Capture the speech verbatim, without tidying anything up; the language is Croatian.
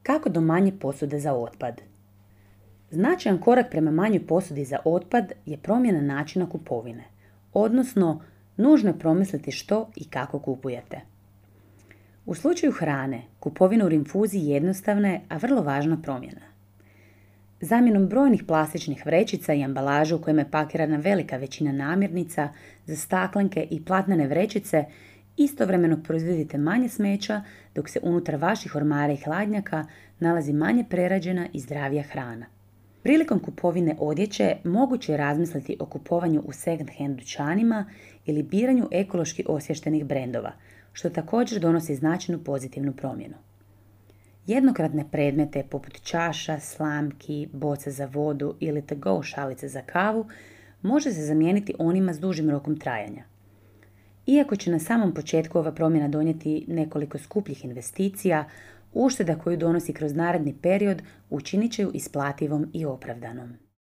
Kako do manje posude za otpad? Značajan korak prema manjoj posudi za otpad je promjena načina kupovine, odnosno nužno je promisliti što i kako kupujete. U slučaju hrane, kupovina u rinfuziji jednostavna je, a vrlo važna promjena. Zamjenom brojnih plastičnih vrećica i ambalaža u kojima je pakirana velika većina namirnica za staklenke i platnene vrećice, istovremeno proizvodite manje smeća, dok se unutar vaših ormara i hladnjaka nalazi manje prerađena i zdravija hrana. Prilikom kupovine odjeće moguće je razmisliti o kupovanju u second hand dućanima ili biranju ekološki osviještenih brendova, što također donosi značajnu pozitivnu promjenu. Jednokratne predmete poput čaša, slamki, boca za vodu ili to go šalice za kavu može se zamijeniti onima s dužim rokom trajanja. Iako će na samom početku ova promjena donijeti nekoliko skupljih investicija, ušteda koju donosi kroz naredni period učinit će ju isplativom i opravdanom.